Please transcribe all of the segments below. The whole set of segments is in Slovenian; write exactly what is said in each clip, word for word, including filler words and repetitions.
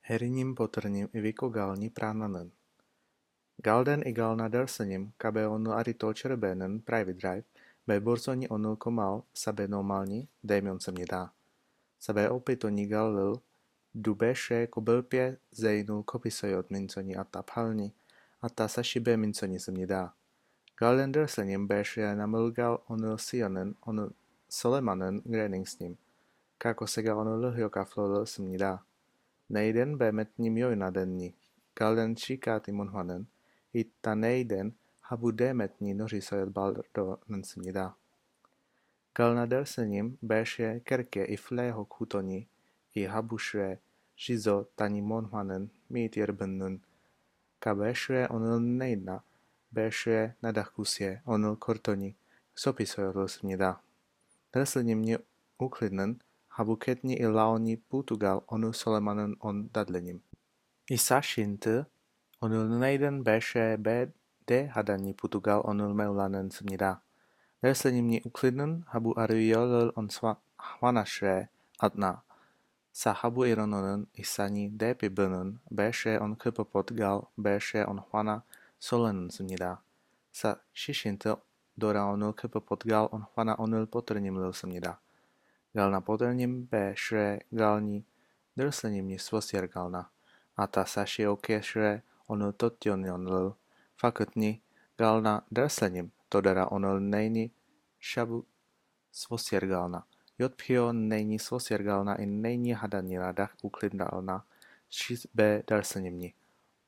Heriním poterním iviko galni prananen. Galden i galna darsanim, kabe onu arito čerbenen private drive, be borsoni onu komal sabe normalni, demion se mě dá. Sabe opitoni galil, dubeše kobelpě zejnul kopisojot minconi ata palni, ata sašibe minconi se mě dá. Galden darsanim beše namlgal onu sionen, onu solemanen grening s ním, kako se ga onu lhjoka flolil se mě dá. Nejden be metním jojnadenni, galden číkáti monhanen, i ta nejden habu demetni nořisojat baldo nensmida. Galna dersenim beše kerke i fleho kutoni, i habušre žizo tani monhanen mít jerbennun, ka beše onul nejdna, beše nadachkusje onul kortoni, sopisojat smida. Dersenim mě uklidnen, habu ketni i laoni Portugal onu solemanen on dadlenim. I sašinte, onul nejden beše be de hadani Portugal onul meulanen smida. Dersenim mě uklidnen, habu ariolel on hwanašre atna. Sa habu irononen i sani de pibenen, beše on kepopot gal, beše on hwana solenen smida. Sa šišinte dora onul kepopot gal on hwana onul potrnim lil smida. Galna poternim beše galni dersenim mě svosjer galna, a ta saši okešre onul totion lil, fakutni galna dersenim, todara onul nejni šabu svosjer galna. Jotpio nejni svosjer galna i nejni hadani radach uklidnalna, šiz be dersenim mě,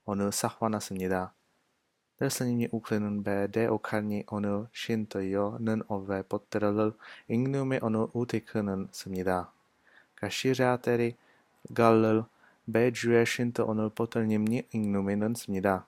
onul sahwana se mě dá. Dersenim mě uklidnen be de okarni onul shinto jo nen ove potterlil, ingnume onul utikunen se mě dá. Ka šiřáteri galil be džuje shinto onul potternim mě ingnume nen se mě dá.